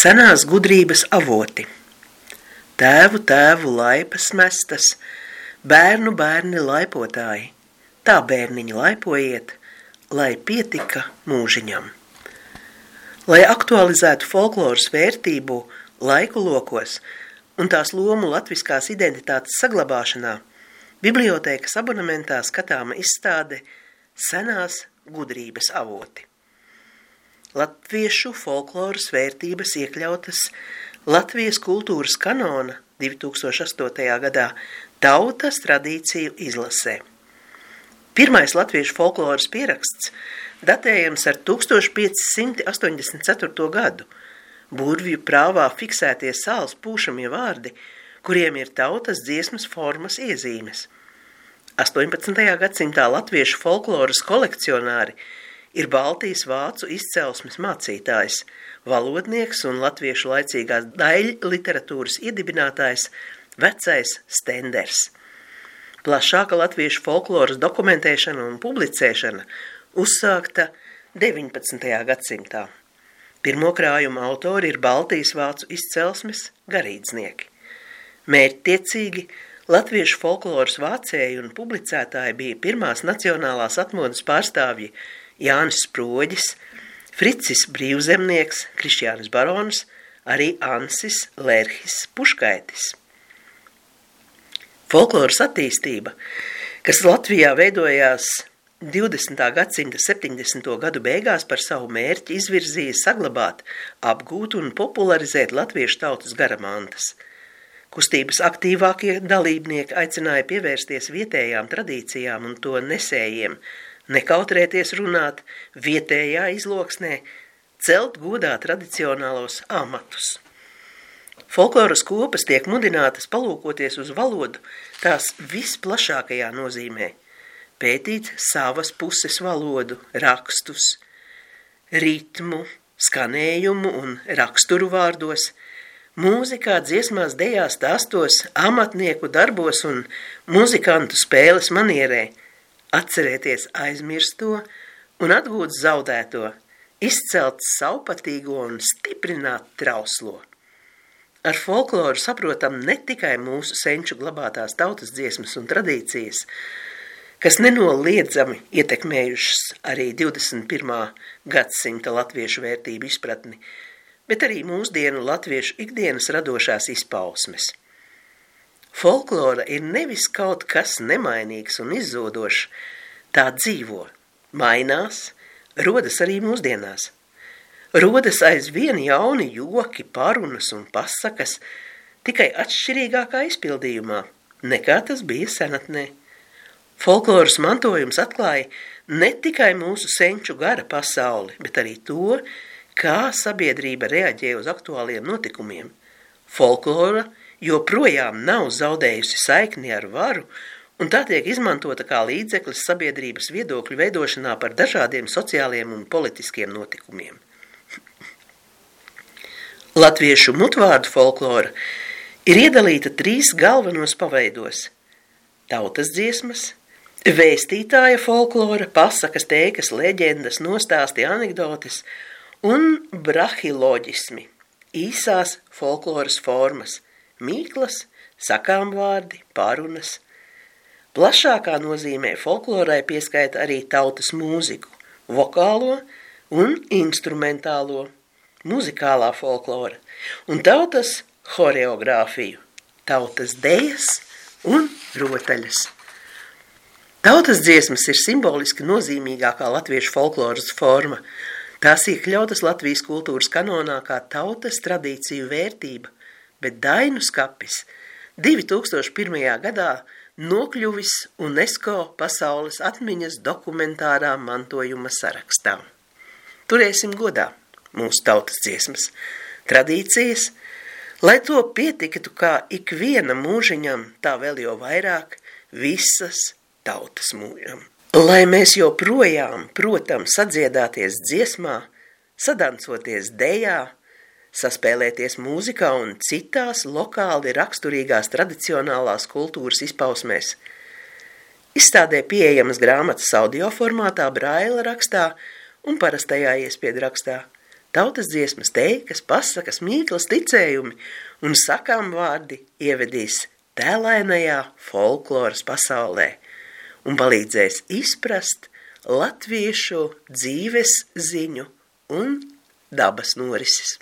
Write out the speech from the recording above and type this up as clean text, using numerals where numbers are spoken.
Senās gudrības avoti. Tēvu laipas mestas, bērni laipotāji, tā bērniņi laipojiet, lai pietika mūžiņam. Lai aktualizētu folkloras vērtību laiku lokos un tās lomu latviskās identitātes saglabāšanā, bibliotēkas abonementā skatāma izstāde Senās gudrības avoti. Latviešu folkloras vērtības iekļautas Latvijas kultūras kanona 2008. gadā tautas tradīciju izlasē. Pirmais latviešu folkloras pieraksts datējams ar 1584. gadu. Burvju prāvā fiksētie sāls pūšamie vārdi, kuriem ir tautas dziesmas formas iezīmes. 18. gadsimtā latviešu folkloras kolekcionāri ir Baltijas vācu izcelsmes mācītājs, valodnieks un latviešu laicīgās daļliteratūras iedibinātājs Vecais Stenders. Plašāka latviešu folkloras dokumentēšana un publicēšana uzsākta 19. gadsimtā. Pirmo krājumu autori ir Baltijas vācu izcelsmes garīdznieki. Mērķtiecīgi latviešu folkloras vācēji un publicētāji bija pirmās nacionālās atmodas pārstāvji Jānis Sproģis, Fricis Brīvzemnieks, Krišjānis Barons, arī Ansis Lērhis Puškaitis. Folkloras attīstība, kas Latvijā veidojās 20. gadsimta 70. gadu beigās, par savu mērķi izvirzīja saglabāt, apgūt un popularizēt latviešu tautas garamantas. Kustības aktīvākie dalībnieki aicināja pievērsties vietējām tradīcijām un to nesējiem, nekautrēties runāt vietējā izloksnē, celt godā tradicionālos amatus. Folkloras kopas tiek mudinātas palūkoties uz valodu tās visplašākajā nozīmē, pētīt savas puses valodu, rakstus, ritmu, skanējumu un raksturu vārdos, mūzikā, dziesmās, dejās, stāstos, amatnieku darbos un muzikantu spēles manierē, atcerēties aizmirsto un atgūt zaudēto, izcelt savpatīgo un stiprināt trauslo. Ar folkloru saprotam ne tikai mūsu senču glabātās tautas dziesmas un tradīcijas, kas nenoliedzami ietekmējušas arī 21. gadsimta latviešu vērtību izpratni, bet arī mūsdienu latviešu ikdienas radošās izpausmes. Folklora ir nevis kaut kas nemainīgs un izzodošs, tā dzīvo, mainās, rodas arī mūsdienās. Rodas aizvien jauni joki, parunas un pasakas, tikai atšķirīgākā izpildījumā, nekā tas bija senatnē. Folkloras mantojums atklāja ne tikai mūsu senču gara pasauli, bet arī to, kā sabiedrība reaģē uz aktuāliem notikumiem. Folklora joprojām nav zaudējusi saikni ar varu, un tā tiek izmantota kā līdzeklis sabiedrības viedokļu veidošanā par dažādiem sociāliem un politiskiem notikumiem. Latviešu mutvārdu folklora ir iedalīta 3 galvenos paveidos – tautas dziesmas, vēstītāja folklora, pasakas, teikas, leģendas, nostāsti, anekdotes un brahiloģismi, īsās folkloras formas, mīklas, sakāmvārdi, parunas. Plašākā nozīmē folklorai pieskaita arī tautas mūziku, vokālo un instrumentālo, muzikālā folklora un tautas horeogrāfiju, tautas dejas un rotaļas. Tautas dziesmas ir simboliski nozīmīgākā latviešu folkloras forma. Tās iekļautas Latvijas kultūras kanonā kā tautas tradīciju vērtība, bet dainu skapis 2001. gadā nokļuvis UNESCO pasaules atmiņas dokumentārā mantojuma sarakstā. Turēsim godā mūsu tautas dziesmas, tradīcijas, lai to pietiktu kā ikviena mūžiņam, tā vēl jau vairāk visas tautas mūžam. Lai mēs joprojām, protams, sadziedāties dziesmā, sadancoties dejā, saspēlēties mūzikā un citās lokāli raksturīgās tradicionālās kultūras izpausmēs. Izstādē pieejamas grāmatas audio formātā, braila rakstā un parastajā iespiedu rakstā. Tautas dziesmas, teikas, pasakas, mīklas, ticējumi un sakām vārdi ievedīs tēlainajā folkloras pasaulē un palīdzēs izprast latviešu dzīves ziņu un dabas norises.